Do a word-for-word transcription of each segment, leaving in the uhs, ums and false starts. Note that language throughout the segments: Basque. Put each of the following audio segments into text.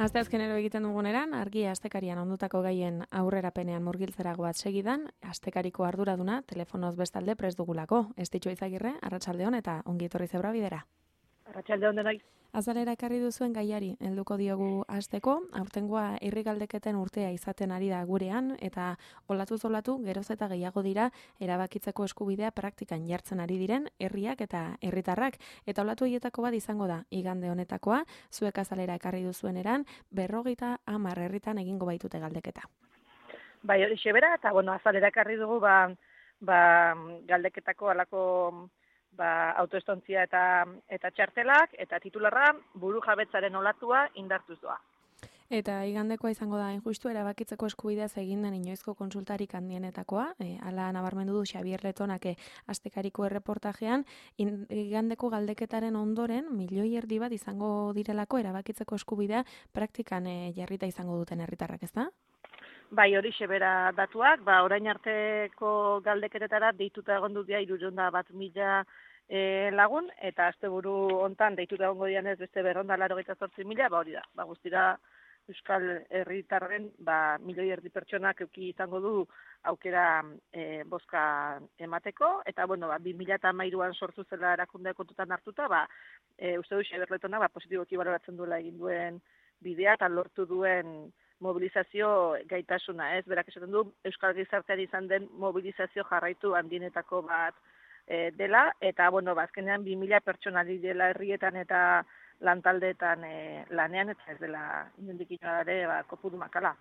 Asteazkenero egiten duguneran, argi astekarian ondutako gaien aurrerapenean murgiltzera goaz segidan, astekariko arduraduna telefonoz bestalde prest dugulako. Estitxo Izagirre, arratsaldeon eta ongi etorri zebra bidera. Arratsaldeon denoi. Azalera ekarri duzuen gaiari helduko diogu hasteko, aurtengoa herri galdeketen urtea izaten ari da gurean eta olatuz olatu geroz eta gehiago dira erabakitzeko eskubidea praktikan jartzen ari diren herriak eta herritarrak eta olatu hietako bat izango da igande honetakoa, zuek azalera ekarri duzuen eran berrogeita hamar herritan egingo baitute galdeketa. Bai, hori xebera, eta bueno, azalera ekarri dugu ba, ba, galdeketako alako ba, autoestontzia eta eta txartelak, eta titularra buru jabetzaren olatua indartuz doa. Eta igandekoa izango da injustu erabakitzeko eskubideaz egin den inoizko konsultarik handienetakoa, e, ala nabarmendu du Xabier Letonak astekariko erreportajean, in, igandeko galdeketaren ondoren milioi erdi bat izango direlako erabakitzeko eskubidea praktikan e, jarrita izango duten herritarrak, ezta? Bai, hori xebera datuak, ba, orain arteko galdeketetara deituta egon dut dira hirurehun bat mila e, lagun, eta asteburu hontan deituta egongo dianez beste berrehun eta laurogeita zortzi mila, ba hori da, ba guztira Euskal herritarren ba, milioi erdi pertsonak euki izango du aukera e, bozka emateko, eta bueno, ba, bi mila hamairuan sortu zela erakunde kontutan hartuta, ba, e, uste du Xabier Letona ba, positiboki baloratzen duela egin duen bidea eta lortu duen mobilizazio gaitasuna, ez? Berak esaten du Euskal gizarteari izan den mobilizazio jarraitu handienetako bat e, dela, eta bueno, bazkenean bi mila pertsona dela herrietan eta lantaldeetan e, lanean, eta ez dela inondik inora ere ba, kopuru makala.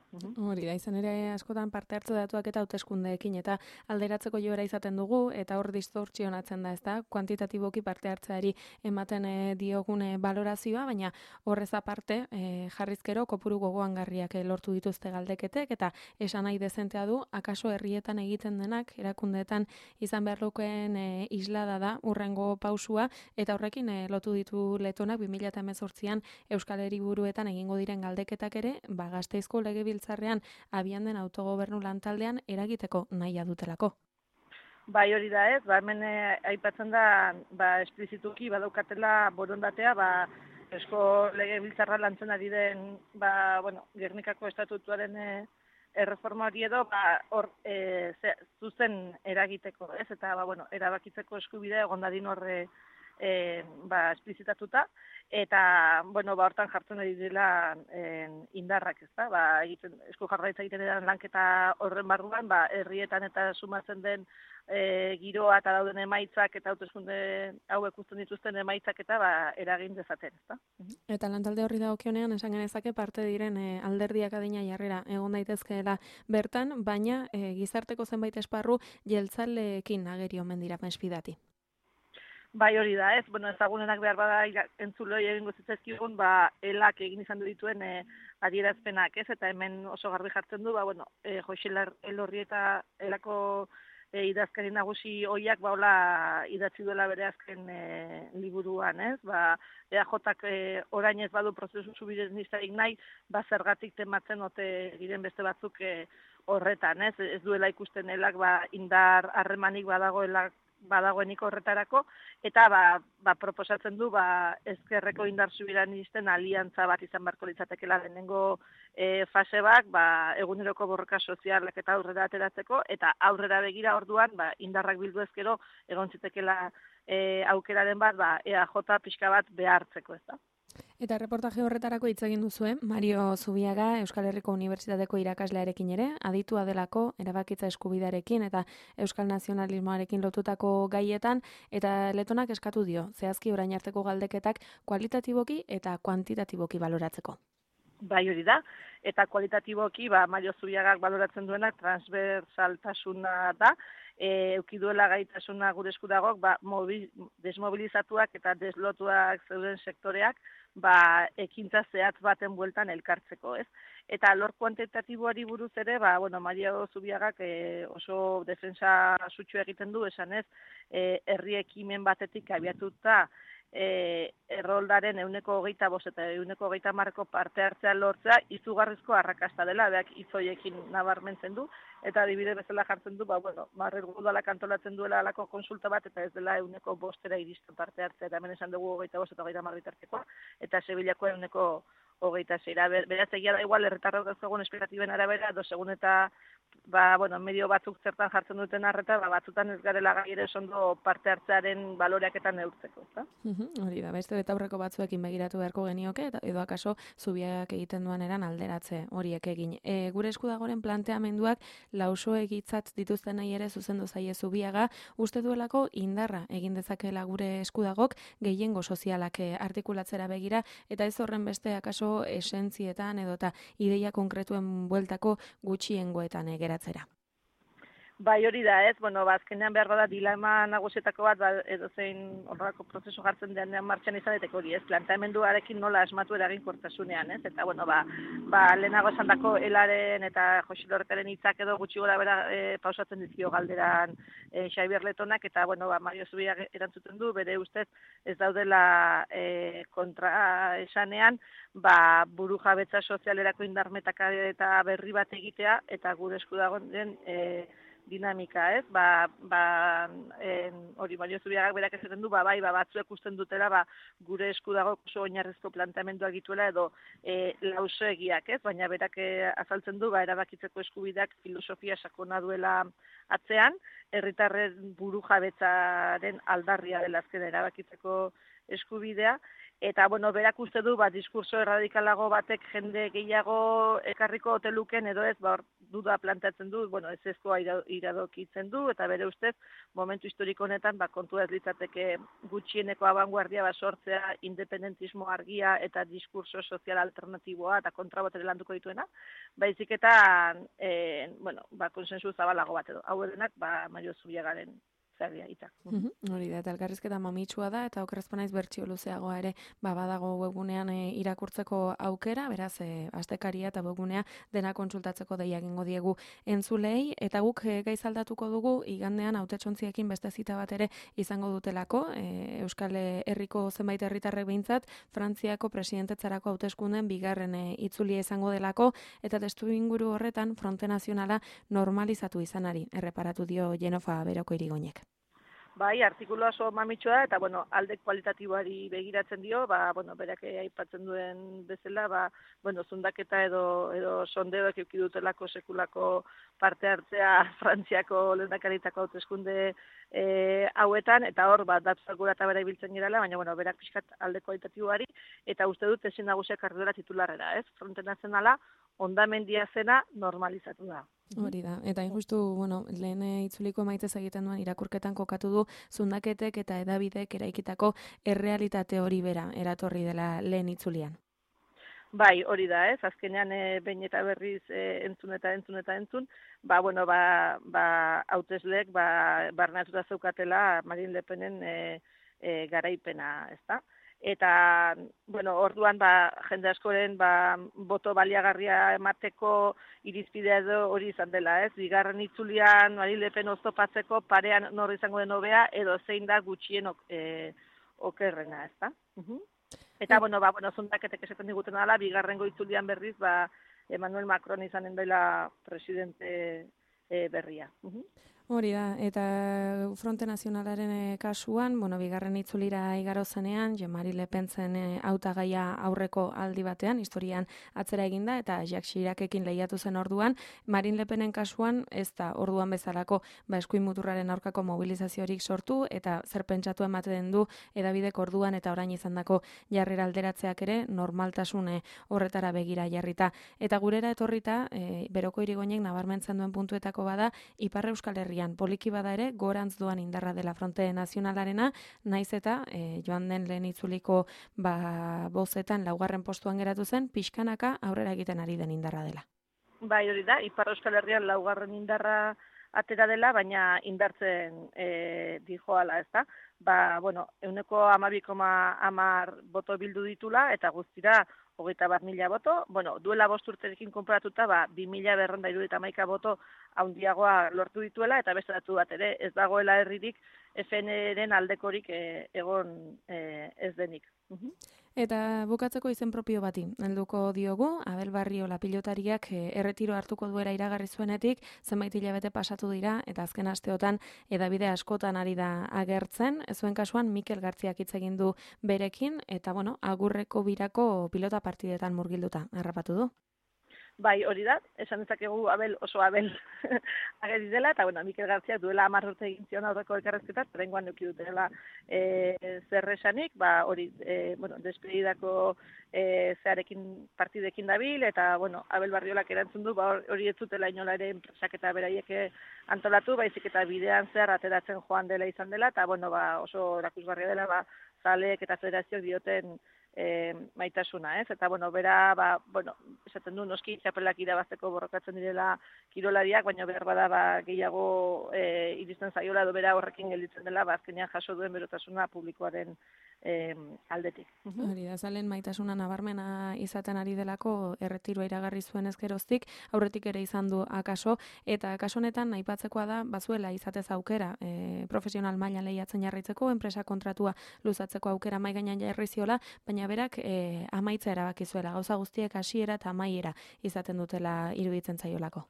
Hori da, izan ere askotan parte hartze datuak eta hauteskundeekin eta alderatzeko joera izaten dugu, eta hor distortzionatzen da, ez da, kuantitatiboki parte hartzeari ematen e, diogune balorazioa, baina horrez aparte e, jarrizkero kopuru gogoangarriak e, lortu dituzte galdeketek, eta esan nahi dezentea du, akaso herrietan egiten denak, erakundeetan izan behar lukeen e, islada da, urrengo pausua, eta horrekin e, lotu ditu Letonak bi mila hemezortzian Euskal Hiriburuetan egingo diren galdeketak ere, ba Gasteizko Legebiltzarrean abian den autogobernu lantaldean eragiteko nahia dutelako. Bai, hori da ez, ba hemen eh, aipatzen da ba esplizituki badaukatela borondatea, ba Eusko Legebiltzarra lantzen ari den ba bueno, Gernikako estatutuaren eh, erreforma hori edo ba hor eh, zuzen eragiteko, ez? Eta ba bueno, erabakitzeko eskubidea egon dadin horre E, ba, esplizitatuta, eta, bueno, ba, hortan jartzen ari dela en, indarrak, ez da, ba, egiten, esku jarraitza egiten edan lanketa horren barruan, ba, herrietan eta sumatzen den e, giroa eta dauden emaitzak eta hauteskunde hauek uzten dituzten emaitzak eta ba, eragin dezaten, ez da. Eta lantalde horri dagokionean esan genezake parte diren e, alderdiak adina jarrera egon daitezkeela bertan, baina e, gizarteko zenbait esparru jeltzaleekin ageri omen dira mespidati. Bai, hori da, ez, bueno, ezagunenak behar bada entzuloi egingo zitzaizkigun, ba, elak egin izan du dituen e, adierazpenak, ez, eta hemen oso garbi jartzen du, ba, bueno, e, Joxelar Elorri eta elako e, idazkari nagusi hoiak, ba, hola idatzi duela bere azken e, liburuan, ez, ba, E A Jak e, orain ez badu prozesu subirenistarik nahi, ba, zergatik tematzen ote diren beste batzuk e, horretan, ez, ez duela ikusten elak, ba, indar harremanik badagoela badagoenik horretarako, eta ba, ba, proposatzen du ba, ezkerreko indar subiranisten aliantza bat izan beharko litzatekeela lehenengo e, fase bat, ba, eguneroko borroka sozialak eta aurrera ateratzeko, eta aurrera begira orduan ba, indarrak bildu ezkero egon zitekeela e, aukeraren bat ba, E A J pixka bat behartzeko, ez da. Eta reportaje horretarako hitz egin duzue, Mario Zubiaga Euskal Herriko Unibertsitateko irakaslearekin ere, aditua delako erabakitza eskubidearekin eta euskal nazionalismoarekin lotutako gaietan, eta Letonak eskatu dio, zehazki orain arteko galdeketak kualitatiboki eta kuantitatiboki baloratzeko. Bai, hori da, eta kualitatiboki ba, Mario Zubiagak baloratzen duenak transversaltasuna da, e, euki duela gaitasuna gure eskudagok, ba, mobil, desmobilizatuak eta deslotuak zeuden sektoreak, ba, ekintza zehatz baten bueltan elkartzeko, ez? Eta lor kuantitatiboari buruz ere, ba, bueno, Mario Zubiagak e, oso defensa sutsu egiten du, esan ez, e, herri ekimen batetik abiatuta, E, erroldaren euneko hogeita bost eta euneko hogeita marko parte hartzea lortzea izugarrizko arrakasta dela, beak izoiekin nabarmentzen du, eta adibide bezala jartzen du, ba, bueno, Marrer Udalak antolatzen duela alako konsulta bat, eta ez dela euneko bostera iristen parte hartzea, eta hemen esan dugu hogeita bost eta hogeita mar bitartekoa, eta Sevillako euneko hogeita zeira. Beraz, egia da igual, herritarrok dauzkagun espektatiben arabera, edo segun eta ba, bueno, medio batzuk zertan jartzen duten arreta, ba, batzutan ez garela gai ere ondo parte hartzearen baloreaketan neurtzeko, ezta? Hori da, beste eta aurreko batzuekin begiratu beharko genioke, eta edo akaso zubiak egiten duen eran alderatze horiek egin. E, gure esku dagoren planteamenduak lauso egitzat dituzten nahi ere zuzendu zaie zubiaga, uste duelako indarra egin dezakela gure eskudagok gehiengo sozialak artikulatzera begira, eta ez horren beste akaso esentzietan edota ideia konkretuen bueltako gutxiengoetan geratzera. Bai, hori da, ez, bueno, ba, azkenean behar da dilema nagusietako bat, ba, edo zein horrelako prozesu jartzen denean martxan izan daiteke hori, ez, planteamenduarekin nola asmatu eraginkortasunean, ez, eta, bueno, ba, ba lehenago esan dako elaren eta Joxe Lorretaren hitzak edo gutxi gora bera e, pausatzen dizkio galderan e, Xabier Letonak, eta, bueno, ba, Mario Zubia erantzuten du, bere ustez ez daudela e, kontra esanean, ba, buru jabetza sozialerako indarmetaka eta berri bat egitea, eta gure esku dagoen den, e, dinamika, ez? Ba, ba, en, hori Mario Zubiagak berak esaten du, ba, bai, ba, batzuek usten dutela, ba, gure esku dago oso oinarrizko planteamenduak dituela edo e, lausoegiak, ez? Baina berak e, azaltzen du, ba, erabakitzeko eskubideak filosofia sakona duela atzean, herritarren burujabetzaren aldarria dela azken erabakitzeko eskubidea, eta, bueno, berak uste du, ba, diskurso erradikalago batek jende gehiago ekarriko oteluken, edo ez, ba, duda planteatzen du, bueno, ez ezkoa iradokitzen du, eta bere ustez, momentu historiko honetan, ba, kontua ez litzateke gutxieneko abanguardia ba, sortzea, independentismo argia eta diskurso sozial alternatiboa eta kontrabotere landuko dituena, baizik eta, e, bueno, ba, konsensu zabalago bat edo. Hau denak, ba, Mario Zubiagaren itzak. Mm-hmm. Hori da, eta elkarrizketa mamitsua da, eta okerrezpanaiz bertsio luzeagoa ere ba, badago webgunean e, irakurtzeko aukera, beraz, e, astekaria eta webgunea dena kontsultatzeko deia egingo diegu entzulei, eta guk e, gaiz aldatuko dugu, igandean hautetxontziekin beste zita bat ere izango dutelako, e, Euskal Herriko zenbait herritarrek behintzat, Frantziako presidentetzarako hauteskunden bigarren e, itzulia izango delako, eta testu inguru horretan fronte nazionala normalizatu izanari, erreparatu dio Jenofa Beroko Irigoinek. Bai, artikulu oso mamitsua da, eta, bueno, alde kualitatiboari begiratzen dio, ba, bueno, berak aipatzen duen bezala, ba, bueno, zundaketa edo, edo sondeoek euki dutelako sekulako parte hartzea Frantziako lehendakaritako hauteskunde e, hauetan, eta hor, ba, datuak gura eta bera ibiltzen girala, baina, bueno, berak pixkat alde kualitatiboari, eta uste dut ezin nagusiak ardura titularrera, ez? Fronte nazionala, hondamendia zena normalizatu da. Hori da, eta injustu, bueno, lehen itzuliko maitez egiten duen irakurketan kokatu du zundaketek eta edabidek eraikitako errealitate hori bera eratorri dela lehen itzulian. Bai, hori da, ez, azkenean e, behin eta berriz e, entzun eta entzun eta entzun, ba, bueno, ba, ba, hautesleek, ba, barnatuta zeukatela Marine Le Penen e, e, garaipena, ez da? Eta, bueno, orduan, ba, jende askoren, ba, boto baliagarria emateko irizpidea edo hori izan dela, ez? Bigarren itzulian, Marine Le Pen oztopatzeko parean nor izango den hobea, edo zein da gutxien ok, e, okerrena, ez da? Uh-huh. Eta, bueno, ba, bueno, zundaketek esaten diguten dela, bigarrengo itzulian berriz, ba, Emmanuel Macron izanen dela presidente e, berria. Uh-huh. Hori da, eta Fronte Nazionalaren e, kasuan, bueno, bigarren itzulira igaro zenean, Jean-Marie Le Pen zen e, hautagaia aurreko aldi batean, historian atzera eginda, eta Jacques Chiracekin lehiatu zen orduan, Marine Le Penen kasuan, ez da orduan bezalako ba, eskuin muturraren aurkako mobilizaziorik sortu, eta zer pentsatu ematen du edabidek orduan eta orain izandako jarrera alderatzeak ere, normaltasune horretara begira jarrita. Eta gurera etorrita, e, Beroko Irigoinek nabarmentzen duen puntuetako bada, Ipar Euskal Herria poliki bada ere, gorantz doan indarra dela Fronte Nazionalarena, naiz eta e, joan den lehen itzuliko ba, bozetan laugarren postuan geratu zen, pixkanaka aurrera egiten ari den indarra dela. Bai, hori da, Ipar Euskal Herrian laugarren indarra atera dela, baina indartzen e, dijoala, ez da? Ba, bueno, euneko hamabi koma hamar boto bildu ditula, eta guztira hogeita bat mila boto, bueno, duela bost urterekin konparatuta, ba, bi mila berrehun eta hirurogeita hamaika boto handiagoa lortu dituela, eta beste datu bat ere, ez dagoela herririk F N-ren aldekorik e, egon e, ez denik. Uh-huh. Eta bukatzeko izen propio bati, helduko diogu, Abel Barriola pilotariak erretiro hartuko duera iragarri zuenetik, zenbait hilabete pasatu dira, eta azken asteotan edabide askotan ari da agertzen, zuen kasuan Mikel Gartziak hitz egin du berekin, eta bueno, agurreko birako pilota partidetan murgilduta, harrapatu du. Bai, hori da, esan dezakegu Abel oso Abel ageri dela, eta bueno, Mikel Gartziak duela hamar urte egin zion aurreko elkarrezketat, oraingoan eduki dutela e, zer esanik, ba hori, e, bueno, despedidako e, zearekin partidekin dabil, eta bueno, Abel Barriolak erantzun du, ba hori ez zutela inola ere enpresak eta beraiek antolatu, baizik eta bidean zehar ateratzen joan dela izan dela, eta bueno, ba oso erakusgarria dela, ba zaleek eta federazioak dioten E, maitasuna, ez? Eta, bueno, bera, ba, bueno, esaten du, noski txapelak irabazteko borrokatzen direla kirolariak, baina behar bada, ba, gehiago e, iristen zaiola, edo bera horrekin gelditzen dela, ba, azkenean jaso duen berotasuna publikoaren e, aldetik. Hori da, zalen maitasuna nabarmena izaten ari delako erretiroa iragarri zuen ezkeroztik, aurretik ere izan du akaso, eta akaso honetan aipatzekoa da, bazuela izatez aukera, e, profesional mailan lehiatzen jarraitzeko, enpresa kontratua luzatzeko aukera mai gainean jarri ziola, baina berak e, amaitza erabaki zuela, gauza guztiek hasiera eta amaiera izaten dutela iruditzen zaiolako.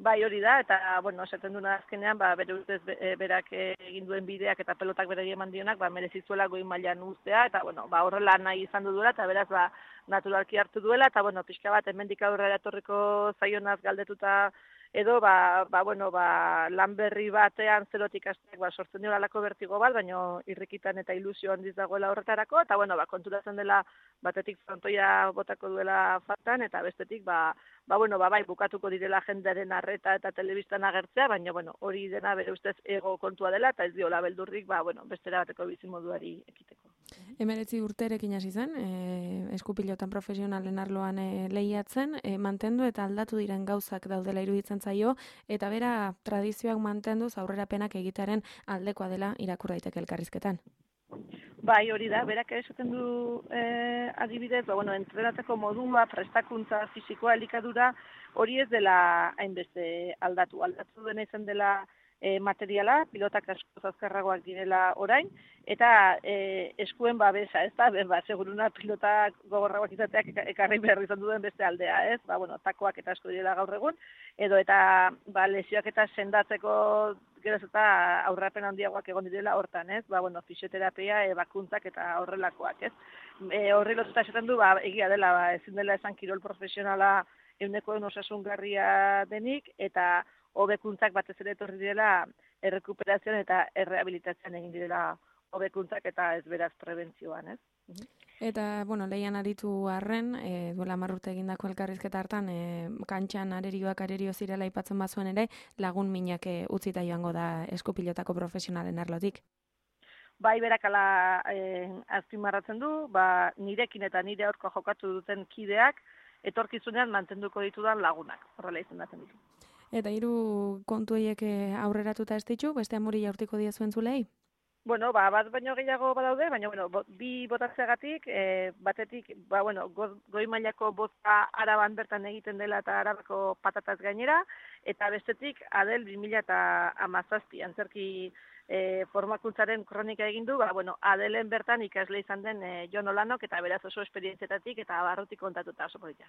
Bai, hori da, eta, bueno, esaten duna azkenean, ba, bere ustez berak egin duen bideak eta pelotak berari eman dionak, ba, merezizuela goi mailan uztea, eta, bueno, ba, horrela nahi izan du duela, eta beraz, ba, naturalki hartu duela, eta, bueno, pixka bat, hemendik aurrera etorriko zaionaz galdetuta edo, ba, ba, bueno, ba, lan berri batean zerotik hasteak ba, sortzen dira alako bertigo bat, baina irrikitan eta ilusio handiz dagoela horretarako, eta, bueno, ba, konturatzen dela batetik frontoia botako duela faltan, eta bestetik, ba, ba, bueno, ba, bai, bukatuko direla jendearen arreta eta telebistan agertzea, baina, bueno, hori dena bere ustez ego kontua dela, eta ez diola beldurrik, ba, bueno, bestera bateko bizimoduari ekiteko. Hemeretzi urterekin hasi zen, e, eskupilotan profesionalen arloan e, lehiatzen, e, mantendu eta aldatu diren gauzak daudela iruditzen zaio, eta bera tradizioak mantenduz aurrerapenak egitearen aldekoa dela irakur daiteke elkarrizketan. Bai, hori da, berak esaten du eh, adibidez, ba, bueno, entrenatzeko modua, prestakuntza, fisikoa, elikadura, hori ez dela hainbeste aldatu. Aldatu dena izan dela e, materiala, pilotak asko azkarragoak direla orain, eta e, eskuen babesa, ez da, ba, seguruna pilotak gogorragoak izateak ekarri behar izan duen beste aldea, ez? Ba, bueno, takoak eta asko direla gaur egun, edo eta ba, lesioak eta sendatzeko geroz eta aurrapen handiagoak egon direla hortan, ez? Ba, bueno, fisioterapia, ebakuntzak eta horrelakoak, ez? E, horri lotuta esaten du, ba, egia dela, ba, ezin dela esan kirol profesionala ehuneko ehun osasungarria denik, eta hobekuntzak batez ere etorri direla errekuperazioan eta errehabilitazioan egin direla hobekuntzak eta ez beraz prebentzioan, ez? Eta, bueno, lehian aritu arren, e, duela hamar urte egindako elkarrizketa hartan, e, kantxan arerioak arerio zirela aipatzen bazuen ere, lagun minak e, utzita joango da eskupilotako profesionalen arlotik. Bai, berak ala e, azpimarratzen du, ba, nirekin eta nire aurko jokatu duten kideak, etorkizunean mantenduko ditudan lagunak, horrela izendatzen ditu. Eta hiru kontu horiek aurreratuta ez ditu, beste amori jaurtiko diezuen zulei? Bueno, ba, bat baino gehiago badaude, baina, bueno, bo, bi botatzeagatik, e, batetik, ba, bueno, go, goi mailako bota Araban bertan egiten dela eta Arabako patataz gainera, eta bestetik, Adel bi mila hamazazpi, antzerki e, formakuntzaren kronika egin du, ba, bueno, Adelen bertan ikasle izan den e, Jon Olanok, eta beraz oso esperientzietatik eta barrutik kontatuta oso polita.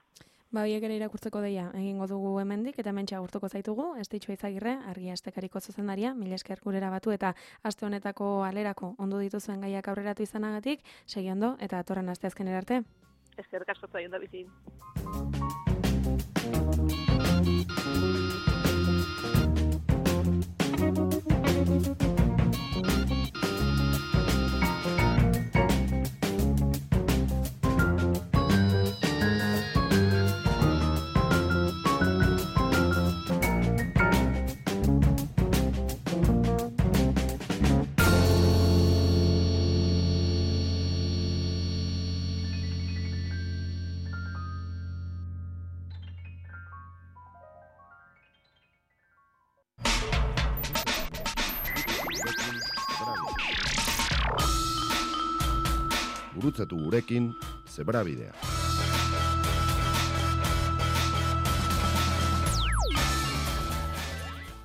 Ba, biek ere irakurtzeko deia, egingo dugu hemendik, eta hementxe agurtuko zaitugu, Estitxu Izagirre, Argia Astekariko zuzendaria, mila esker gurera batu, eta aste honetako alerako ondo dituzuen gaiak aurreratu izanagatik, segi ondo, eta atorren asteazkenera arte. Eskerrik asko zuen da bizi. Gurutzatu gurekin Zebrabidea.